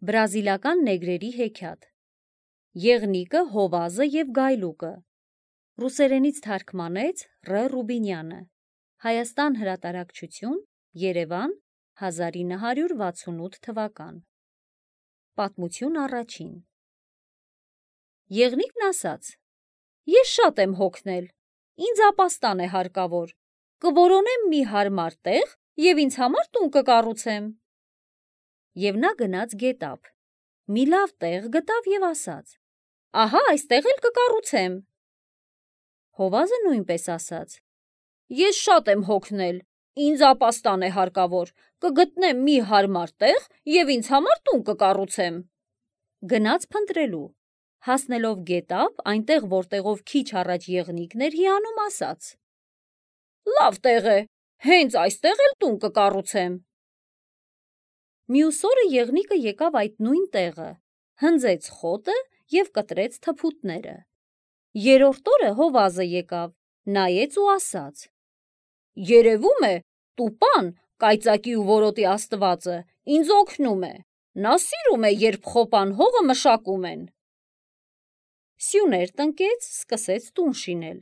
Բրազիլական նեգրերի հեքիաթ։ Եղնիկը, հովազը և գայլուկը։ Ռուսերենից թարգմանեց Ռ. Ռուբինյանը։ Հայաստան հրատարակչություն, Երևան, 1968 թվական։ Պատմություն առաջին։ Եղնիկն ասաց. «Ես շատ եմ հոգնել, ինձ ապաստան է հարկավոր, կորոնեմ մի հարմար տեղ և ինձ համար տուն կկառուցեմ»։ Եվ նա գնաց գետափ, մի լավ տեղ գտավ և ասաց. «Ահա այստեղ էլ կկառուցեմ»։ Հովազը նույնպես ասաց. «Ես շատ եմ հոգնել, ինձ ապաստան է հարկավոր, կգտնեմ մի հարմար տեղ և ինձ համար տուն կկառուցեմ»։ Գնաց փնտրելու, հասնելով գետափ, այնտեղ, որտեղով քիչ առաջ եղնիկն էր հիանում, ասաց. «Լավ տեղ է, հենց այստեղ էլ տուն կկառուցեմ»։ Մյուս օրը եղնիկը եկավ այդ նույն տեղը, հնձեց խոտը և կտրեց թփուտները։ Երրորդ օրը հովազը եկավ, նայեց ու ասաց. «Երևում է, տուպան, կայծակի ու որոտի աստվածը, ինձ օգնում է, նա սիրում է, երբ խոպան հողը մշակում են»։ Սյուներ տնկեց, սկսեց տուն շինել։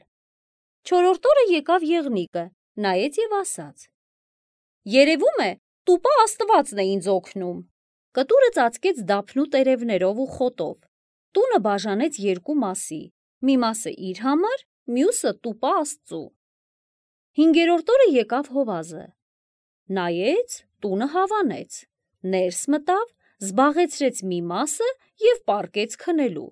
Չորրորդ օրը եկավ եղնիկը, նայեց և ասաց. «Երևում է, տուպա աստվածն է ինձ օգնում»։ Կտուրը ծածկեց դափնու տերևներով ու խոտով, տունը բաժանեց երկու մասի, մի մասը իր համար, մյուսը տուպա աստծու։ Հինգերորդ օրը եկավ հովազը, նայեց, տունը հավանեց, ներս մտավ, զբաղեցրեց մի մասը և պառկեց քնելու։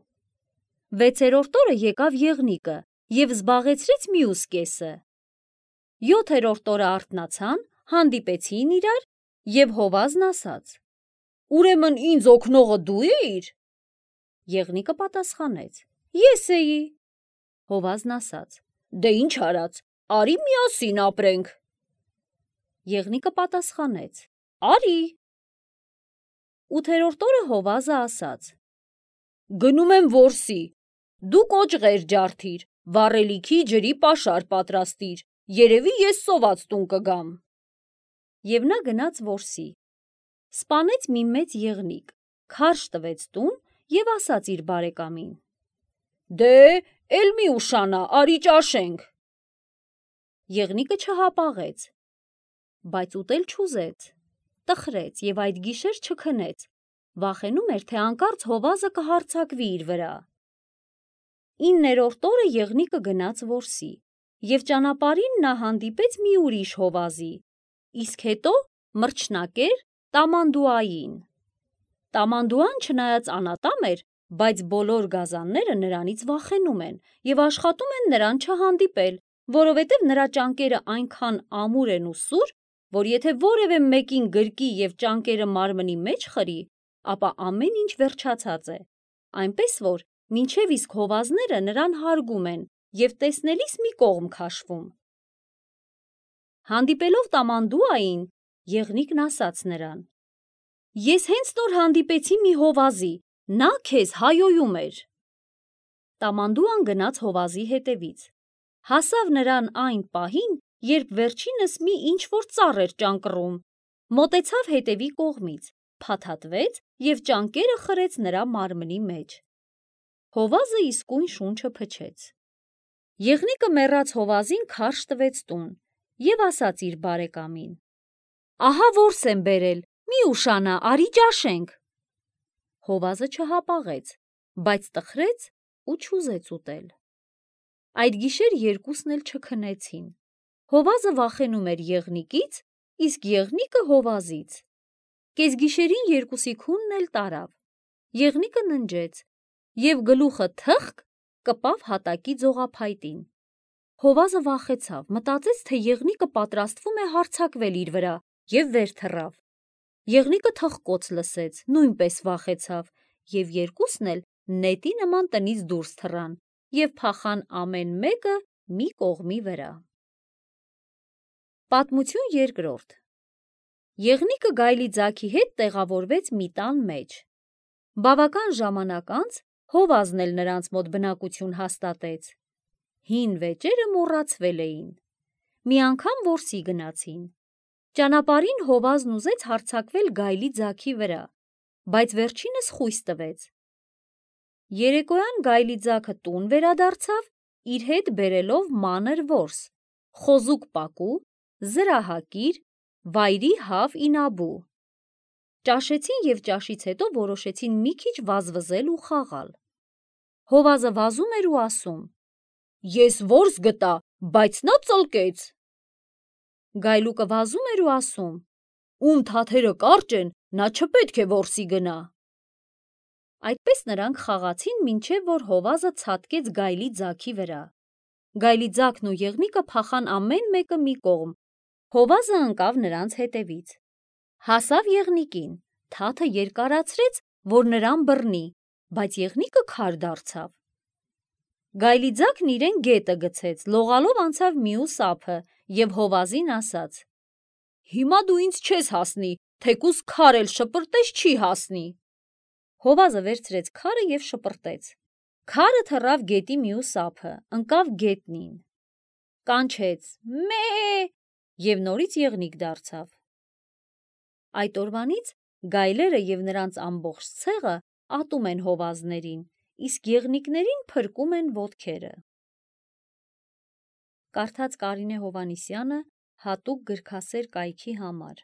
Վեցերորդ օրը եկավ եղնիկը և զբաղեցրեց մյուս կեսը։ Յոթերորդ օրը արթնացան, հանդիպեցին իրար և հովազն ասաց. «Ուրեմն ինձ օգնողը դու էիր»։ Եղնիկը պատասխանեց. «Ես էի»։ Հովազն ասաց. «Դե ինչ արած, արի միասին ապրենք»։ Եղնիկը պատասխանեց. «Արի»։ Ութերորդ օրը հովազը ասաց. «Գնում եմ որսի, դու կոճղեր ջարդիր, վառելիքի ջրի պաշար պատրաստիր, երևի ես սոված տուն կգամ»։ Եվ նա գնաց որսի, սպանեց մի մեծ եղնիկ, քարշ տվեց տուն և ասաց իր բարեկամին. «Դե, էլ մի ուշանա, արի ճաշենք»։ Եղնիկը չհապաղեց, բայց ուտել չուզեց, տխրեց և այդ գիշեր չքնեց, վախենում էր, թե հանկարծ հովազը կհարձակվի իր վրա։ 9-րդ օրը եղնիկը գնաց որսի, և ճանապարհին նա հանդիպեց մի ուրիշ հովազի, իսկ հետո մրջնակեր Տամանդուային։ Տամանդուան չնայած անատամ էր, բայց բոլոր գազանները նրանից վախենում են և աշխատում են նրան չհանդիպել, որովհետև նրա ճանկերը այնքան ամուր են ու սուր, որ եթե որևէ մեկին գրկի և ճանկերը մարմնի մեջ խրի, ապա ամեն ինչ վերջացած է, այնպես որ մինչև իսկ հովազները նրան հարգում են և տեսնելիս մի կողմ քաշվում։ Հանդիպելով Տամանդուային, եղնիկն ասաց նրան. «Ես հենց նոր հանդիպեցի մի հովազի, նա քեզ հայոյում էր»։ Տամանդուան գնաց հովազի հետևից, հասավ նրան այն պահին, երբ վերջինս մի ինչ-որ ծառ էր ճանկռում, մոտեցավ հետևի կողմից, փաթաթվեց և ճանկերը խրեց նրա մարմնի մեջ։ Հովազը իսկույն շունչը փչեց։ Եղնիկը մեռած հովազին քարշ տվեց տուն և ասաց իր բարեկամին. «Ահա որս եմ բերել, մի ուշանա, արի ճաշենք»։ Հովազը չհապաղեց, բայց տխրեց ու չուզեց ուտել։ Այդ գիշեր երկուսն էլ չքնեցին։ Հովազը վախենում էր եղնիկից, իսկ եղնիկը հովազից։ Կեսգիշերին երկուսի քունն էլ տարավ։ Եղնիկը ննջեց և գլուխը թխկ կպավ հատակի ձողափայտին։ Հովազը վախեցավ, մտածեց, թե եղնիկը պատրաստվում է հարձակվել իր վրա և վեր թռավ։ Եղնիկը թխկոց լսեց, նույնպես վախեցավ և երկուսն էլ նետի նման տնից դուրս թռան և փախան ամեն մեկը մի կողմի վրա։ Պատմություն երկրորդ։ Եղնիկը գայլի ձագի հետ տեղավորվեց մի տան մեջ։ Բավական ժամանակ անց հովազն էլ նրանց մոտ բնակություն հաստատեց։ Հին վեճերը մոռացվել էին։ Մի անգամ որսի գնացին։ Ճանապարհին հովազն ուզեց հարձակվել գայլի ձագի վրա, բայց վերջինս խույս տվեց։ Երեկոյան գայլի ձագը տուն վերադարձավ, իր հետ բերելով մանր որս, խոզուկ պակու, զրահակիր, վայրի հավ ինաբու։ Ճաշեցին և ճաշից հետո որոշեցին մի քիչ վազվզել ու խաղալ։ Հովազը վազում էր ու ասում. «Ես որս գտա, բայց նա ծլկեց»։ Գայլուկը վազում էր ու ասում. «Ում թաթերը կարճ են, նա չպետք է որսի գնա»։ Այդպես նրանք խաղացին, մինչև որ հովազը ցատկեց գայլի ձագի վրա։ Գայլի ձագն ու եղնիկը փախան ամեն մեկը մի կողմ, հովազը ընկավ նրանց հետևից։ Հասավ եղնիկին, թաթը երկարացրեց, որ նրան բռնի, բայց եղնիկը քար դարձավ։ Գայլի ձագն իրեն գետը գցեց, լողալով անցավ մյուս ափը և հովազին ասաց. «Հիմա դու ինձ չես հասնի, թեկուզ քար էլ շպրտես չի հասնի»։ Հովազը վերցրեց քարը և շպրտեց։ Քարը թռավ գետի մյուս ափը, ընկավ գետնին, կանչեց «մե» և նորից եղնիկ դարձավ։ Այդ օրվանից գայլերը և նրանց ամբողջ ցեղը ատում են հովազներին, իսկ եղնիկներին փրկում են ոտքերը։ Կարդաց Կարինե Հովհաննիսյանը հատուկ գրքասեր կայքի համար։